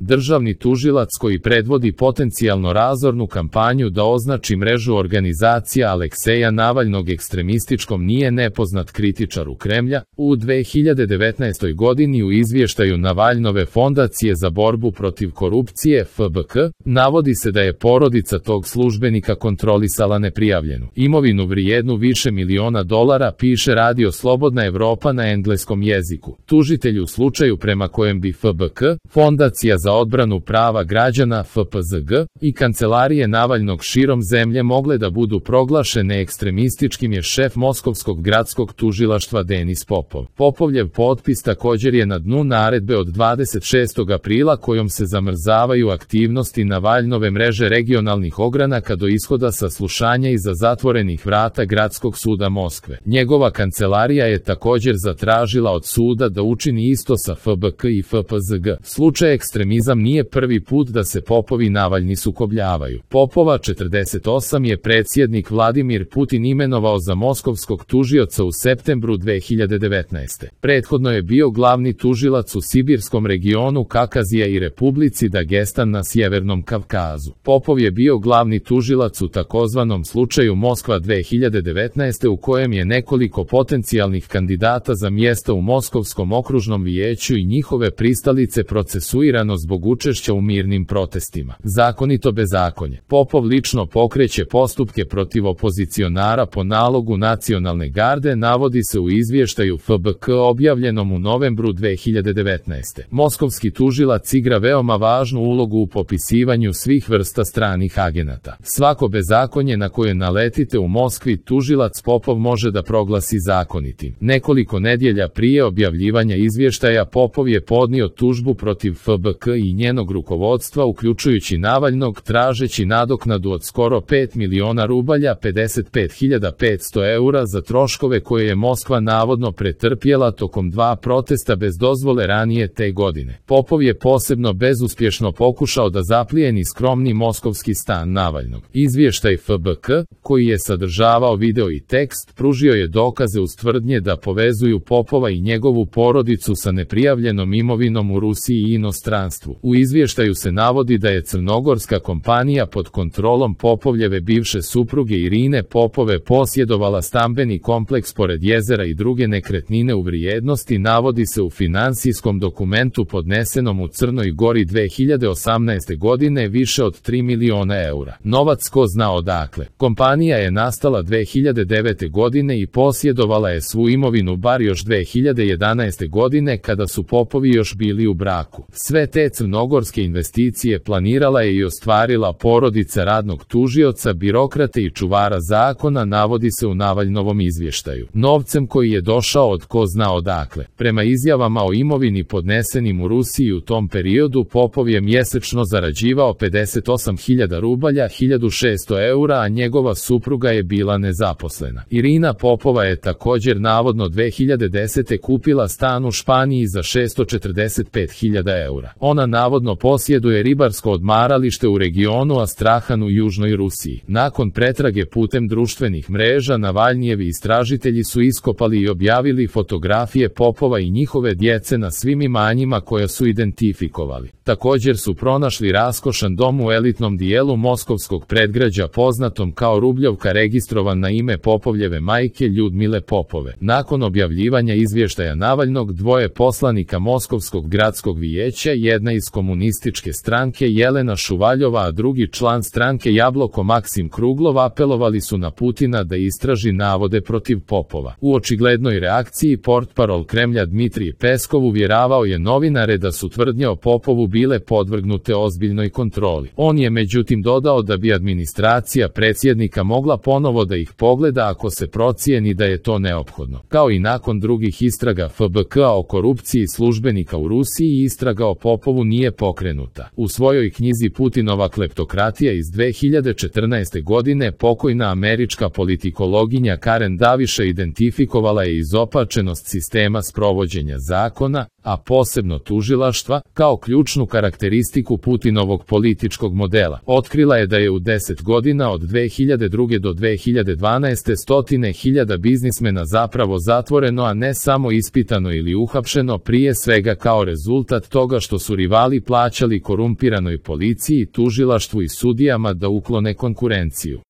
državni tužilac koji predvodi potencijalno razornu kampanju da označi mrežu organizacija Alekseja Navalnog ekstremističkom nije nepoznat kritičar u Kremlja, u 2019. godini u izvještaju Navalnove fondacije za borbu protiv korupcije FBK, navodi se da je porodica tog službenika kontrolisala neprijavljenu imovinu vrijednu više miliona dolara, piše Radio Slobodna Evropa na engleskom jeziku. Tužitelj u slučaju prema kojem bi FBK, Fondacija za odbranu prava građana FPZG, i kancelarije Navalnog širom zemlje mogle da budu proglašene ekstremističkim je šef Moskovskog gradskog tužilaštva Denis Popov. Popovljev potpis također je na dnu naredbe od 26. aprila kojom se zamrzavaju aktivnosti Navalnove mreže regionalnih ogranaka do ishoda saslušanja iza zatvorenih vrata Gradskog suda Moskve. Njegova kancelarija je također zatražila od suda da učini isto sa FBK i FPZG. Slučaj ekstremizam nije prvi put da se Popov i Navalni sukobljavaju. Popova, 48, je predsjednik Vladimir Putin imenovao za moskovskog tužioca u septembru 2019. Prethodno je bio glavni tužilac u sibirskom regionu Kakazija i Republici Dagestan na Sjevernom Kavkazu. Popov je bio glavni tužilac u takozvanom slučaju Moskva 2019. u kojem je nekoliko potencijalnih kandidata za mjesta u Moskovskom okružnom vijeću i njihove pristalice procesuirano zbog učešća u mirnim protestima. Zakonito bezakonje. Popov lično pokreće postupke protiv opozicionara po nalogu Nacionalne garde, navodi se u izvještaju FBK objavljenom u novembru 2019. Moskovski tužilac igra veoma važnu ulogu u popisivanju svih vrsta stranih agenata. Svako bezakonje na koje naletite u Moskvi tužilac Popov može da proglasi zakonitim. Nekoliko nedjelja prije objavljivanja izvještaja Popov je podnio tužbu protiv FBK i njenog rukovodstva uključujući Navalnog tražeći nadoknadu od skoro 5 miliona rubalja, 55.500 eura za troškove koje je Moskva navodno pretrpjela tokom 2 protesta bez dozvole ranije te godine. Popov je posebno bezuspješno pokušao da zaplijeni skromni moskovski stan Navalnog. Izvještaj FBK, koji je sadržavao video i tekst, pružio je dokaze uz tvrdnje da povezuju Popova i njegovu porodicu sa neprijavljenom imovinom u Rusiji i inostranstvu. U izvještaju se navodi da je crnogorska kompanija pod kontrolom Popovljeve bivše supruge Irine Popove posjedovala stambeni kompleks pored jezera i druge nekretnine u vrijednosti, navodi se u finansijskom dokumentu podnesenom u Crnoj Gori 2018. godine, više od 3 miliona eura. Novac ko zna odakle. Kompanija je nastala 2009. godine i posjedovala je svu imovinu bar još 2011. godine kada su Popovi još bili u braku. Sve te crnogorske investicije planirala je i ostvarila porodica radnog tužioca, birokrate i čuvara zakona, navodi se u Navalnovom izvještaju. Novcem koji je došao od ko zna odakle. Prema izjavama o imovini podnesenim u Rusiji u tom periodu, Popov je mjesečno zarađivao 58.000 rubalja, 1.600 eura, a njegova supruga je bila nezaposlena. Irina Popova je također navodno 2010. kupila stan u Španiji za 645.000 eura. Ona navodno posjeduje ribarsko odmaralište u regionu Astrahan u južnoj Rusiji. Nakon pretrage putem društvenih mreža, Navalnijevi istražitelji su iskopali i objavili fotografije Popova i njihove djece na svim imanjima koja su identifikovali. Također su pronašli raskošan dom u elitnom dijelu moskovskog predgrađa poznatom kao Rubljovka, registrovan na ime Popovljeve majke Ljudmile Popove. Nakon objavljivanja izvještaja Navalnog, dvoje poslanika Moskovskog gradskog vijeća, jedna iz komunističke stranke Jelena Šuvaljova, a drugi član stranke Jabloko Maksim Kruglov, apelovali su na Putina da istraži navode protiv Popova. U očiglednoj reakciji portparol Kremlja Dmitrij Peskov uvjeravao je novinare da su tvrdnje o Popovu bile podvrgnute ozbiljnoj kontroli. On je međutim dodao da bi administracija predsjednika mogla ponovo da ih pogleda ako se procijeni da je to neophodno. Kao i nakon drugih istraga FBK o korupciji službenika u Rusiji, istraga o Popovu nije pokrenuta. U svojoj knjizi Putinova kleptokratija iz 2014. godine pokojna američka politikologinja Karen Davisha identifikovala je izopačenost sistema sprovođenja zakona, a posebno tužilaštva, kao ključnu karakteristiku Putinovog političkog modela. Otkrila je da je u 10 godina od 2002. do 2012. stotine hiljada biznismena zapravo zatvoreno, a ne samo ispitano ili uhapšeno, prije svega kao rezultat toga što su rivali rivali plaćali korumpiranoj policiji, tužilaštvu i sudijama da uklone konkurenciju.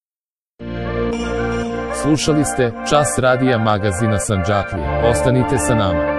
Slušali ste Čas radija magazina Sandžaklija. Ostanite sa nama.